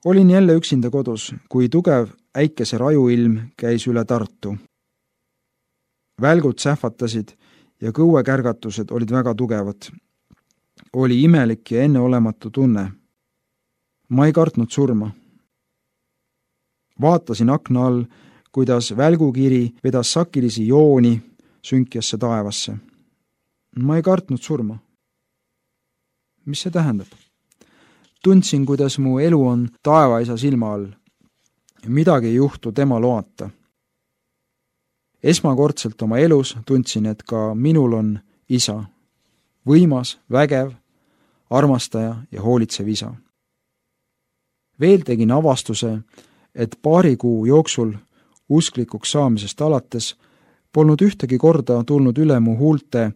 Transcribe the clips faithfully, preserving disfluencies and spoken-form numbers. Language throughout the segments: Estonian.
Olin jälle üksinda kodus, kui tugev äikese rajuilm käis üle Tartu. Välgud sähvatasid ja kõuekärgatused olid väga tugevad. Oli imelik ja enneolematu tunne. Ma ei kartnud surma. Vaatasin akna all, kuidas välgukiri vedas sakilisi jooni sünkjasse taevasse. Ma ei kartnud surma. Mis see tähendab? Tundsin, kuidas mu elu on taevaisa silma all. Midagi ei juhtu tema loata. Esmakordselt oma elus tundsin, et ka minul on isa. Võimas, vägev, armastaja ja hoolitsev isa. Veel tegin avastuse, et paari kuu jooksul usklikuks saamisest alates polnud ühtegi korda tulnud üle mu huulte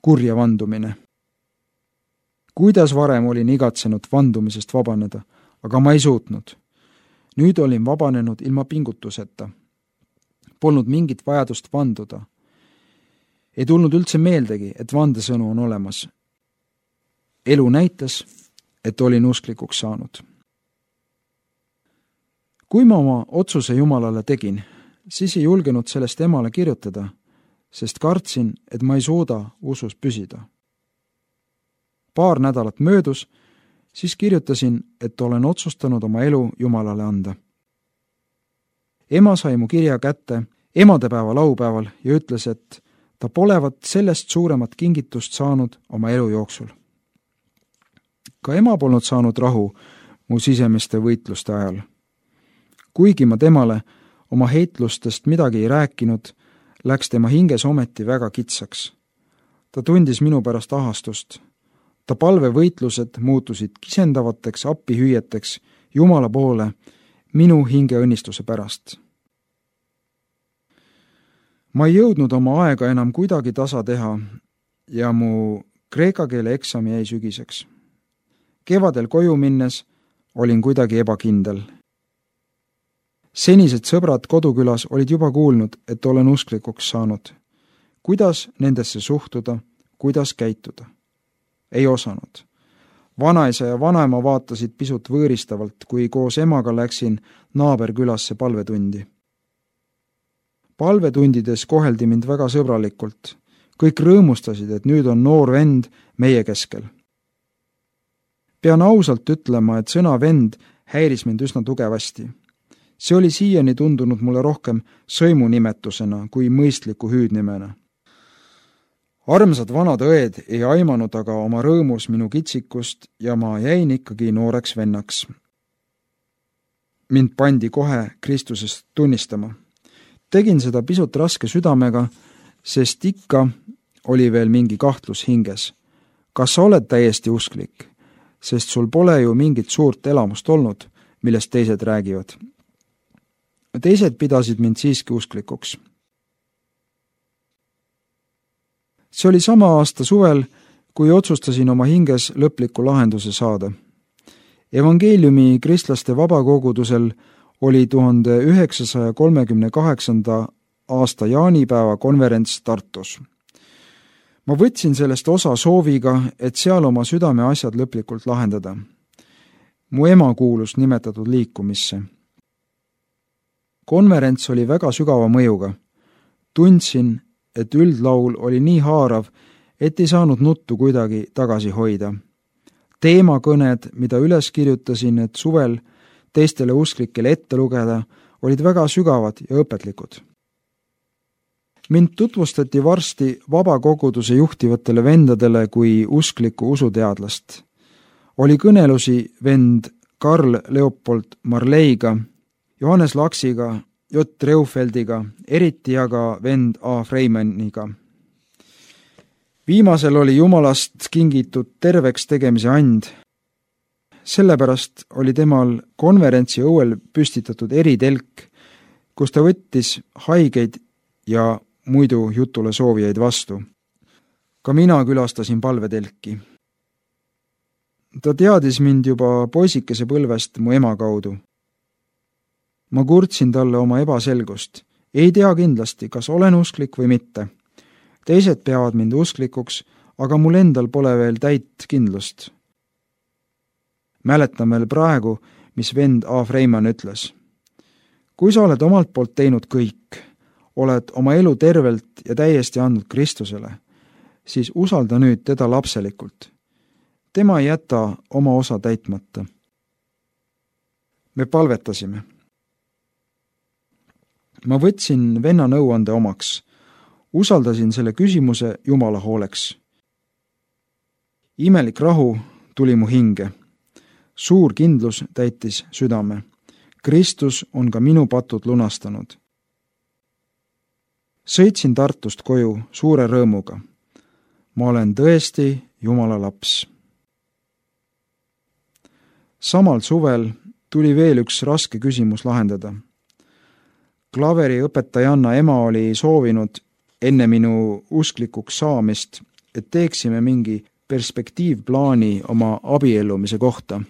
kurja vandumine. Kuidas varem olin igatsenud vandumisest vabaneda, aga ma ei suutnud. Nüüd olin vabanenud ilma pingutuseta. Polnud mingit vajadust vanduda. Ei tulnud üldse meeldegi, et vandesõnu on olemas. Elu näitas, et olin usklikuks saanud. Kui ma oma otsuse Jumalale tegin, siis ei julgenud sellest emale kirjutada, sest kartsin, et ma ei suuda usus püsida. Paar nädalat möödus, siis kirjutasin, et olen otsustanud oma elu Jumalale anda. Ema sai mu kirja kätte emadepäeva laupäeval ja ütles, et ta polevat sellest suuremat kingitust saanud oma elu jooksul. Ka ema polnud saanud rahu mu sisemiste võitluste ajal. Kuigi ma temale oma heitlustest midagi ei rääkinud, läks tema hinges ometi väga kitsaks. Ta tundis minu pärast ahastust. Ta palvevõitlused muutusid kisendavateks appihüüeteks Jumala poole minu hinge õnnistuse pärast. Ma ei jõudnud oma aega enam kuidagi tasa teha ja mu kreeka keele eksami jäi sügiseks. Kevadel koju minnes olin kuidagi ebakindel. Senised sõbrad kodukülas olid juba kuulnud, et olen usklikuks saanud. Kuidas nendesse suhtuda, kuidas käituda? Ei osanud. Vanaisa ja vanaema vaatasid pisut võõristavalt, kui koos emaga läksin naaberkülasse palvetundi. Palvetundides koheldi mind väga sõbralikult. Kõik rõõmustasid, et nüüd on noor vend meie keskel. Pean ausalt ütlema, et sõna vend häiris mind üsna tugevasti. See oli siiani tundunud mulle rohkem sõimunimetusena kui mõistliku hüüdnimena. Armsad vanad õed ei aimanud aga oma rõõmus minu kitsikust ja ma jäin ikkagi nooreks vennaks. Mind pandi kohe Kristusest tunnistama. Tegin seda pisut raske südamega, sest ikka oli veel mingi kahtlus hinges. Kas sa oled täiesti usklik? Sest sul pole ju mingit suurt elamust olnud, millest teised räägivad. Teised pidasid mind siiski usklikuks. See oli sama aasta suvel, kui otsustasin oma hinges lõpliku lahenduse saada. Evangeeliumi kristlaste vabakogudusel oli tuhande üheksasaja kolmekümne kaheksanda aasta jaanipäeva konverents Tartus. Ma võtsin sellest osa sooviga, et seal oma südame asjad lõplikult lahendada. Mu ema kuulus nimetatud liikumisse. Konverents oli väga sügava mõjuga. Tundsin, et üldlaul oli nii haarav, et ei saanud nuttu kuidagi tagasi hoida. Teemakõned, mida üles kirjutasin, et suvel teistele usklikele ette lugeda, olid väga sügavad ja õpetlikud. Mind tutvustati varsti vabakoguduse juhtivatele vendadele kui uskliku usuteadlast. Oli kõnelusi vend Karl Leopold Marleiga, Johannes Laksiga, J. Reufeldiga, eriti aga vend A. Freimaniga. Viimasel oli Jumalast kingitud terveks tegemise and. Sellepärast oli temal konverentsi õuel püstitatud eritelk, kus ta võttis haigeid ja muidu jutule soovijaid vastu. Ka mina külastasin palvetelki. Ta teadis mind juba poisikese põlvest mu ema kaudu. Ma kurtsin talle oma ebaselgust. Ei tea kindlasti, kas olen usklik või mitte. Teised peavad mind usklikuks, aga mul endal pole veel täit kindlust. Mäletan veel praegu, mis vend A. Freiman ütles. Kui sa oled omalt poolt teinud kõik, oled oma elu tervelt ja täiesti andnud Kristusele, siis usalda nüüd teda lapselikult. Tema ei jäta oma osa täitmata. Me palvetasime. Ma võtsin venna nõuande omaks. Usaldasin selle küsimuse Jumala hooleks. Imelik rahu tuli mu hinge. Suur kindlus täitis südame. Kristus on ka minu patud lunastanud. Sõitsin Tartust koju suure rõõmuga. Ma olen tõesti Jumala laps. Samal suvel tuli veel üks raske küsimus lahendada. Klaveri õpetajanna ema oli soovinud enne minu usklikuks saamist, et teeksime mingi perspektiivplaani oma abiellumise kohta.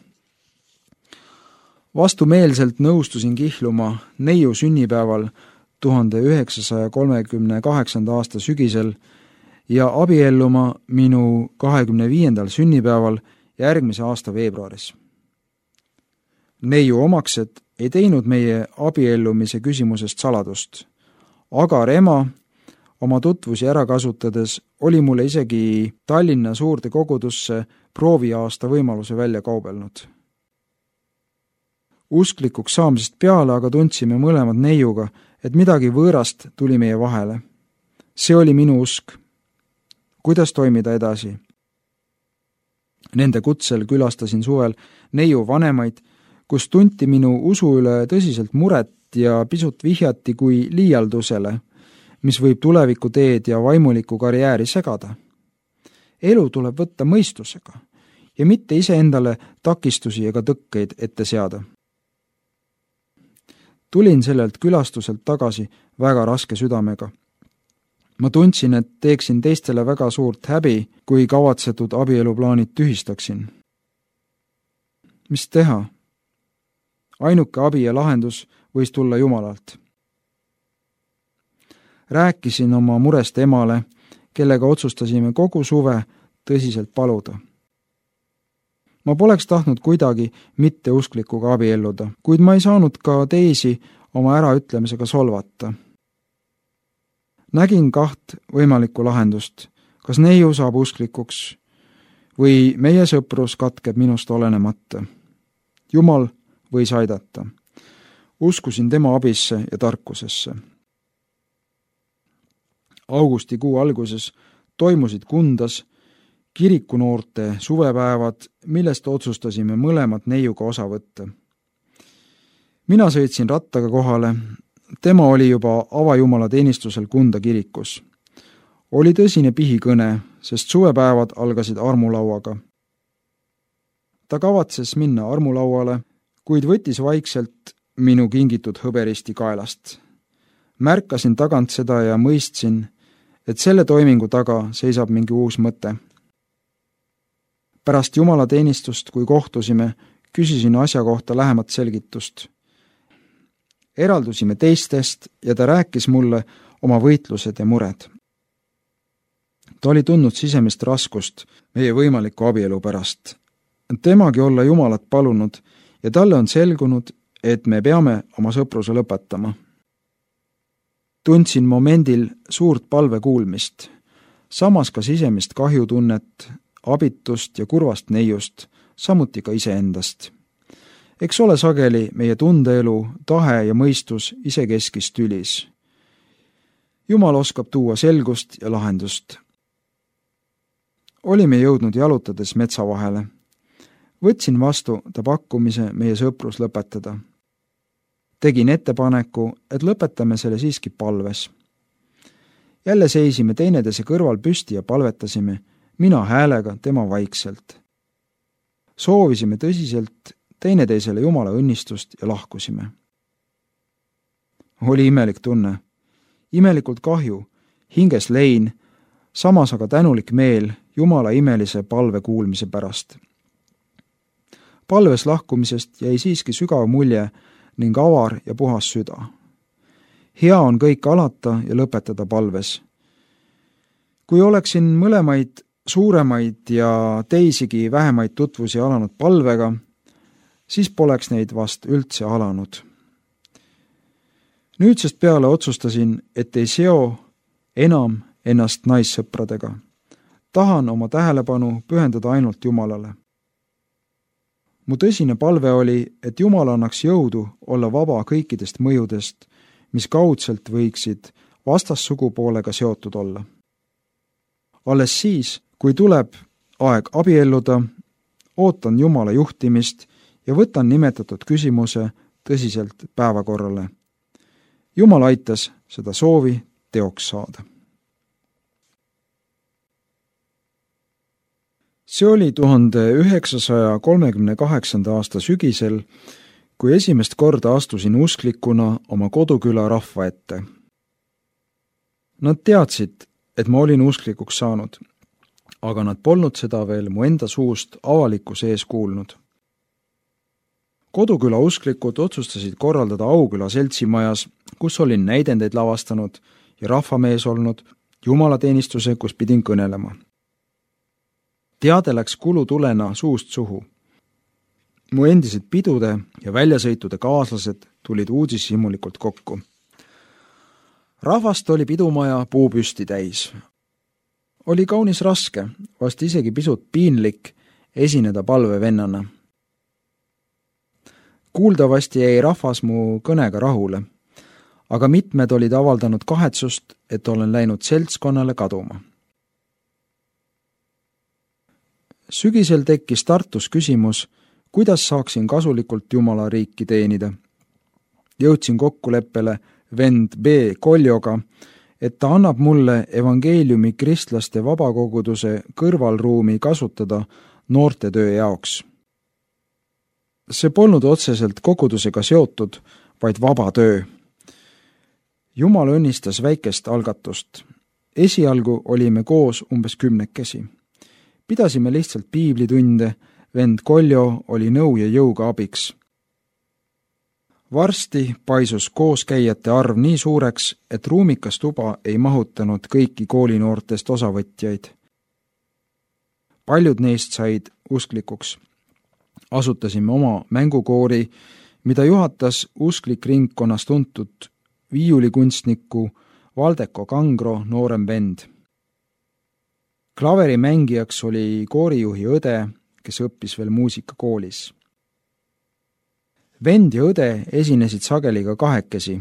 Vastumeelselt nõustusin kihluma neiu sünnipäeval tuhande üheksasaja kolmekümne kaheksanda aasta sügisel ja abielluma minu kahekümne viiendal sünnipäeval järgmise aasta veebruaris. Neiu omaksed ei teinud meie abiellumise küsimusest saladust. Agar ema oma tutvusi ära kasutades oli mulle isegi Tallinna suurde kogudusse prooviaasta võimaluse välja kaubelnud. Usklikuks saamisest peale aga tundsime mõlemad neiuga, et midagi võõrast tuli meie vahele. See oli minu usk. Kuidas toimida edasi? Nende kutsel külastasin suvel neiu vanemaid, kus tunti minu usu üle tõsiselt muret ja pisut vihjati kui liialdusele, mis võib tuleviku teed ja vaimuliku karjääri segada. Elu tuleb võtta mõistusega ja mitte iseendale takistusi ega tõkkeid ette seada. Tulin sellelt külastuselt tagasi väga raske südamega. Ma tundsin, et teeksin teistele väga suurt häbi, kui kavatsetud abieluplaanid tühistaksin. Mis teha? Ainuke abi ja lahendus võis tulla Jumalalt. Rääkisin oma murest emale, kellega otsustasime kogu suve tõsiselt paluda. Ma poleks tahtnud kuidagi mitteusklikuga abielluda, kuid ma ei saanud ka teisi oma äraütlemisega solvata. Nägin kaht võimalikku lahendust, kas neiu saab usklikuks või meie sõprus katkeb minust olenemata. Jumal võis aidata. Uskusin tema abisse ja tarkusesse. Augustikuu alguses toimusid Kundas kirikunoorte suvepäevad, millest otsustasime mõlemad neiuga osa võtta. Mina sõitsin rattaga kohale, tema oli juba avajumala teenistusel Kunda kirikus. Oli tõsine pihikõne, sest suvepäevad algasid armulauaga. Ta kavatses minna armulauale, kuid võttis vaikselt minu kingitud hõberisti kaelast. Märkasin tagant seda ja mõistsin, et selle toimingu taga seisab mingi uus mõte. Pärast Jumala teenistust, kui kohtusime, küsisin asja kohta lähemat selgitust. Eraldusime teistest ja ta rääkis mulle oma võitlused ja mured. Ta oli tundnud sisemist raskust meie võimaliku abielu pärast. Temagi olla Jumalat palunud ja talle on selgunud, et me peame oma sõpruse lõpetama. Tundsin momendil suurt palve kuulmist, samas ka sisemist kahjutunnet, abitust ja kurvast neiust, samuti ka iseendast. Eks ole sageli meie tundeelu, tahe ja mõistus isekeskis tülis. Jumal oskab tuua selgust ja lahendust. Olime jõudnud jalutades metsa vahele. Võtsin vastu ta pakkumise meie sõprus lõpetada. Tegin ettepaneku, et lõpetame selle siiski palves. Jälle seisime teineteise kõrval püsti ja palvetasime, mina häälega, tema vaikselt. Soovisime tõsiselt teineteisele Jumala õnnistust ja lahkusime. Oli imelik tunne. Imelikult kahju, hinges lein, samas aga tänulik meel Jumala imelise palve kuulmise pärast. Palves lahkumisest jäi siiski sügav mulje ning avar ja puhas süda. Hea on kõik alata ja lõpetada palves. Kui oleksin mõlemaid suuremaid ja teisigi vähemaid tutvusi alanud palvega, siis poleks neid vast üldse alanud. Nüüdsest peale otsustasin, et ei seo enam ennast naissõpradega. Tahan oma tähelepanu pühendada ainult Jumalale. Mu tõsine palve oli, et Jumal annaks jõudu olla vaba kõikidest mõjudest, mis kaudselt võiksid vastassugupoolega seotud olla. Alles siis, kui tuleb aeg abielluda, ootan Jumala juhtimist ja võtan nimetatud küsimuse tõsiselt päevakorrale. Jumal aitas seda soovi teoks saada. See oli tuhande üheksasaja kolmekümne kaheksanda aasta sügisel, kui esimest korda astusin usklikuna oma koduküla rahva ette. Nad teadsid, et ma olin usklikuks saanud, aga nad polnud seda veel mu enda suust avalikkuse ees kuulnud. Koduküla usklikud otsustasid korraldada Auküla seltsimajas, kus olin näidendeid lavastanud ja rahvamees olnud, jumalateenistuse, kus pidin kõnelema. Teade läks kulutulena suust suhu. Mu endised pidude ja väljasõitude kaaslased tulid uudishimulikult kokku. Rahvast oli pidumaja puupüsti täis. Oli kaunis raske, vast isegi pisut piinlik esineda palvevennana. Kuuldavasti jäi rahvas mu kõnega rahule, aga mitmed olid avaldanud kahetsust, et olen läinud seltskonnale kaduma. Sügisel tekkis Tartus küsimus, kuidas saaksin kasulikult Jumala riiki teenida. Jõudsin kokkuleppele vend B. Koljoga, et ta annab mulle evangeeliumi kristlaste vabakoguduse kõrvalruumi kasutada noortetöö jaoks. See polnud otseselt kogudusega seotud, vaid vaba töö. Jumal õnnistas väikest algatust. Esialgu olime koos umbes kümnekesi. Pidasime lihtsalt piiblitunde, vend Koljo oli nõu ja jõuga abiks. Varsti paisus kooskäijate arv nii suureks, et ruumikas tuba ei mahutanud kõiki koolinoortest osavõtjaid. Paljud neist said usklikuks. Asutasime oma mängukoori, mida juhatas usklik ringkonnas tuntud viiulikunstniku Valdeko Kangro noorem vend. Klaverimängijaks oli koorijuhi õde, kes õppis veel muusikakoolis. Vend ja õde esinesid sageli ka kahekesi,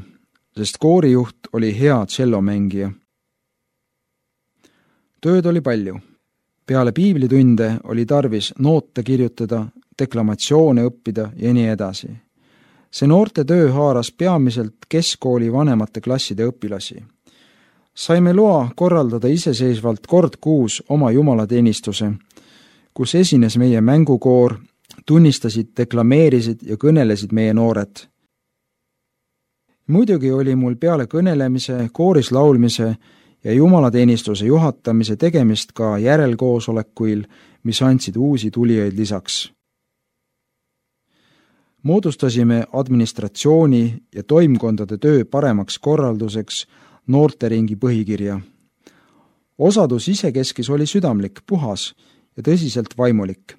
sest koorijuht oli hea tšellomängija. Tööd oli palju. Peale piiblitunde oli tarvis noote kirjutada, deklamatsioone õppida ja nii edasi. See noorte töö haaras peamiselt keskkooli vanemate klasside õpilasi. Saime loa korraldada iseseisvalt kord kuus oma jumalateenistuse, kus esines meie mängukoor, tunnistasid, deklameerisid ja kõnelesid meie noored. Muidugi oli mul peale kõnelemise, kooris laulmise ja jumalateenistuse juhatamise tegemist ka järelkoosolekuil, mis andsid uusi tulijaid lisaks. Moodustasime administratsiooni ja toimkondade töö paremaks korralduseks noorteringi põhikirja. Osadus isekeskis oli südamlik, puhas ja tõsiselt vaimulik.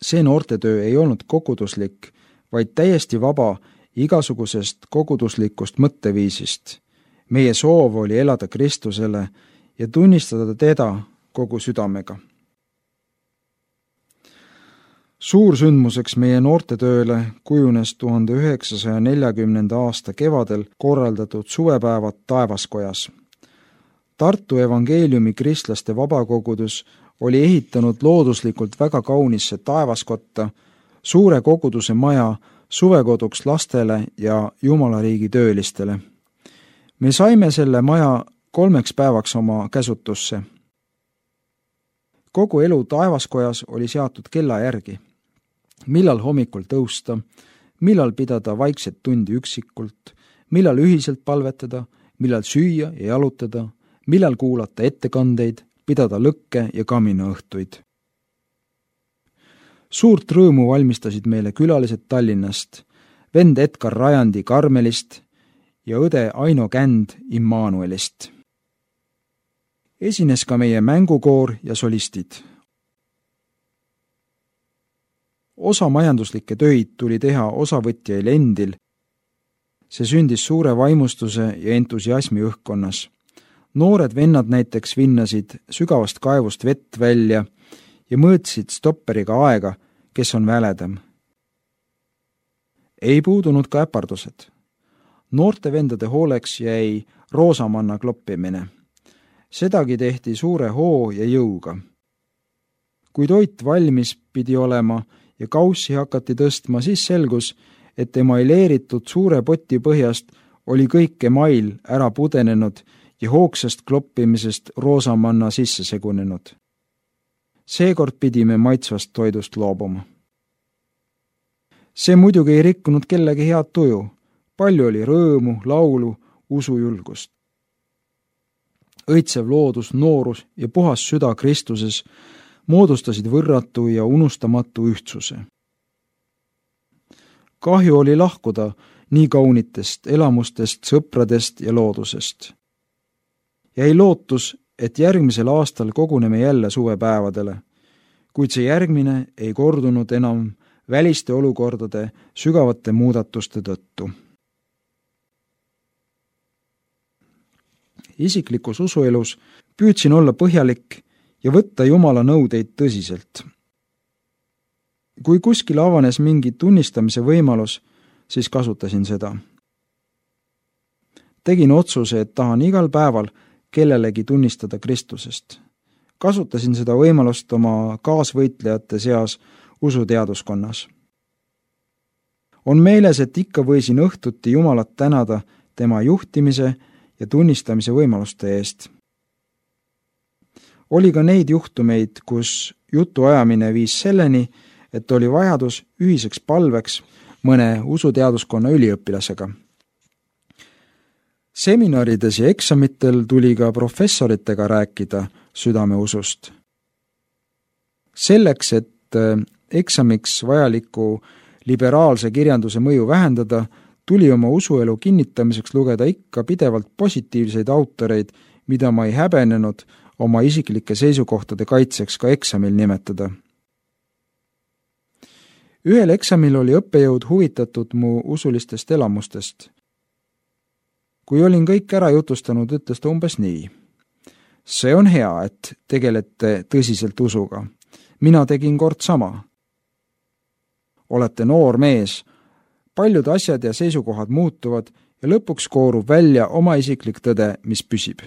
See noortetöö ei olnud koguduslik, vaid täiesti vaba igasugusest koguduslikust mõtteviisist. Meie soov oli elada Kristusele ja tunnistada teda kogu südamega. Suursündmuseks meie noortetööle kujunes tuhande üheksasaja neljakümnenda aasta kevadel korraldatud suvepäevad Taevaskojas. Tartu evangeeliumi kristlaste vabakogudus oli ehitanud looduslikult väga kaunisse taevaskotta, suure koguduse maja suvekoduks lastele ja jumalariigi töölistele. Me saime selle maja kolmeks päevaks oma käsutusse. Kogu elu Taevaskojas oli seatud kella järgi. Millal hommikul tõusta, millal pidada vaikset tundi üksikult, millal ühiselt palvetada, millal süüa ja jalutada, millal kuulata ettekandeid, pidada lõkke ja kaminaõhtuid. Suurt rõõmu valmistasid meile külalised Tallinnast, vend Edgar Rajandi Karmelist ja õde Aino Känd Immanuelist. Esines ka meie mängukoor ja solistid. Osa majanduslikke töid tuli teha osavõtjail endil. See sündis suure vaimustuse ja entusiasmi õhkkonnas. Noored vennad näiteks vinnasid sügavast kaevust vett välja ja mõõtsid stopperiga aega, kes on väledam. Ei puudunud ka äpardused. Noorte vendade hooleks jäi roosamanna kloppimine. Sedagi tehti suure hoo ja jõuga. Kui toit valmis pidi olema ja kaussi hakati tõstma, siis selgus, et emaileeritud suure poti põhjast oli kõik email ära pudenenud ja hoogsast kloppimisest roosamanna sisse segunenud. Seekord pidime maitsvast toidust loobuma. See muidugi ei rikkunud kellegi head tuju. Palju oli rõõmu, laulu, usujulgust. Õitsev loodus, noorus ja puhas süda Kristuses moodustasid võrratu ja unustamatu ühtsuse. Kahju oli lahkuda nii kaunitest elamustest, sõpradest ja loodusest. Jäi lootus, et järgmisel aastal koguneme jälle suvepäevadele, kuid see järgmine ei kordunud enam väliste olukordade sügavate muudatuste tõttu. Isiklikus usuelus püüdsin olla põhjalik ja võtta Jumala nõudeid tõsiselt. Kui kuskil avanes mingi tunnistamise võimalus, siis kasutasin seda. Tegin otsuse, et tahan igal päeval kellelegi tunnistada Kristusest. Kasutasin seda võimalust oma kaasvõitlejate seas usuteaduskonnas. On meeles, et ikka võisin õhtuti Jumalat tänada tema juhtimise ja tunnistamise võimaluste eest. Oli ka neid juhtumeid, kus jutu ajamine viis selleni, et oli vajadus ühiseks palveks mõne usuteaduskonna üliõpilasega. Seminarides ja eksamitel tuli ka professoritega rääkida südameusust. Selleks, et eksamiks vajaliku liberaalse kirjanduse mõju vähendada, tuli oma usuelu kinnitamiseks lugeda ikka pidevalt positiivseid autoreid, mida ma ei häbenenud oma isiklike seisukohtade kaitseks ka eksamil nimetada. Ühel eksamil oli õppejõud huvitatud mu usulistest elamustest. Kui olin kõik ära jutustanud, ütles ta umbes nii. See on hea, et tegelete tõsiselt usuga. Mina tegin kord sama. Olete noor mees, paljud asjad ja seisukohad muutuvad ja lõpuks koorub välja oma isiklik tõde, mis püsib.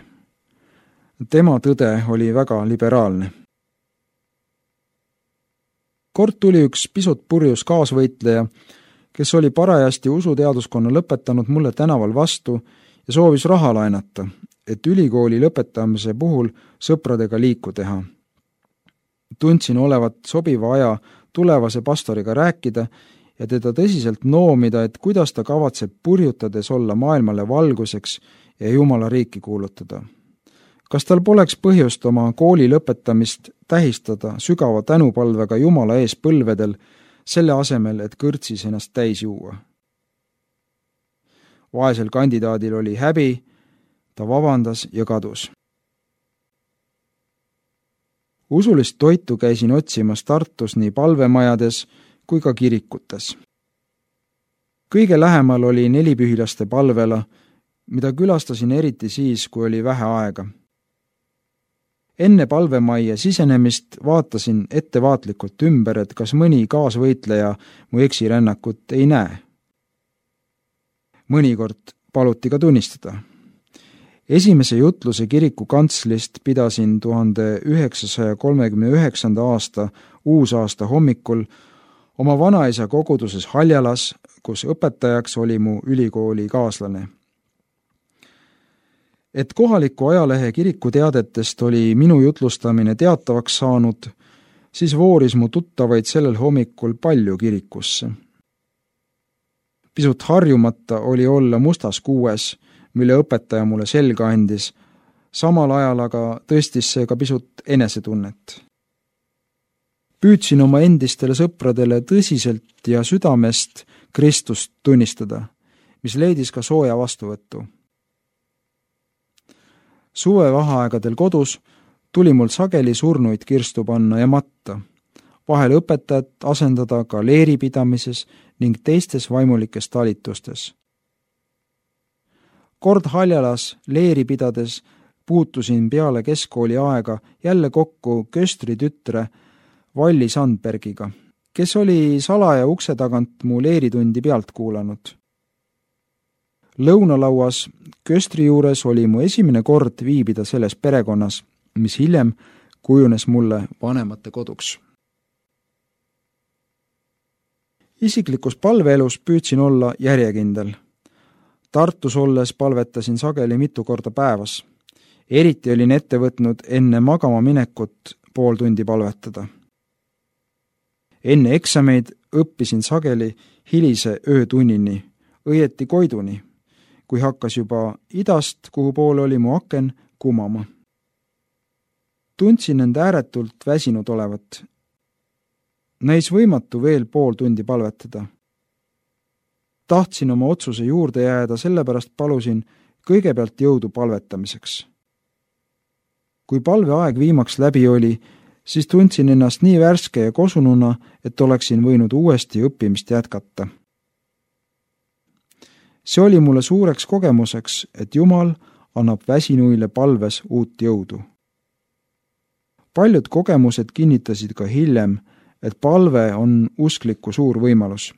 Tema tõde oli väga liberaalne. Kord tuli üks pisut purjus kaasvõitleja, kes oli parajasti usuteaduskonna lõpetanud mulle tänaval vastu ja soovis raha laenata, et ülikooli lõpetamise puhul sõpradega liiku teha. Tundsin olevat sobiva aja tulevase pastoriga rääkida ja teda tõsiselt noomida, et kuidas ta kavatseb purjutades olla maailmale valguseks ja Jumala riiki kuulutada. Kas tal poleks põhjust oma kooli lõpetamist tähistada sügava tänupalvega Jumala ees põlvedel, selle asemel, et kõrtsis ennast täis juua? Vaesel kandidaadil oli häbi, ta vabandas ja kadus. Usulist toitu käisin otsimas Tartus nii palvemajades kui ka kirikutes. Kõige lähemal oli nelipühilaste palvela, mida külastasin eriti siis, kui oli vähe aega. Enne palvemajja sisenemist vaatasin ettevaatlikult ümber, et kas mõni kaasvõitleja mu eksirännakut ei näe. Mõnikord paluti ka tunnistada. Esimese jutluse kiriku kantslist pidasin tuhande üheksasaja kolmekümne üheksanda aasta uusaasta hommikul oma vanaisa koguduses Haljalas, kus õpetajaks oli mu ülikooli kaaslane. Et kohaliku ajalehe kirikuteadetest oli minu jutlustamine teatavaks saanud, siis vooris mu tuttavaid sellel hommikul palju kirikusse. Pisut harjumata oli olla mustas kuues, mille õpetaja mulle selga andis, samal ajal aga tõstis see ka pisut enesetunnet. Püüdsin oma endistele sõpradele tõsiselt ja südamest Kristust tunnistada, mis leidis ka sooja vastuvõttu. Suvevaheaegadel kodus tuli mul sageli surnuid kirstu panna ja matta. vahel õpetajat asendada ka leeripidamises ning teistes vaimulikes talitustes. Kord Haljalas leeri pidades puutusin peale keskkooli aega jälle kokku köstri tütre Valli Sandbergiga, kes oli salaja ukse tagant mu leeritundi pealt kuulanud. Lõunalauas köstri juures oli mu esimene kord viibida selles perekonnas, mis hiljem kujunes mulle vanemate koduks. Isiklikus palveelus püüdsin olla järjekindel. Tartus olles palvetasin sageli mitu korda päevas. Eriti olin ette võtnud enne magama minekut pool tundi palvetada. Enne eksameid õppisin sageli hilise öötunnini, õieti koiduni, kui hakkas juba idast, kuhu poole oli mu aken, kumama. Tundsin end ääretult väsinud olevat. Näis võimatu veel pool tundi palvetada. Tahtsin oma otsuse juurde jääda, sellepärast palusin kõigepealt jõudu palvetamiseks. Kui palveaeg viimaks läbi oli, siis tundsin ennast nii värske ja kosununa, et oleksin võinud uuesti õppimist jätkata. See oli mulle suureks kogemuseks, et Jumal annab väsinuile palves uut jõudu. Paljud kogemused kinnitasid ka hiljem, et palve on uskliku suur võimalus.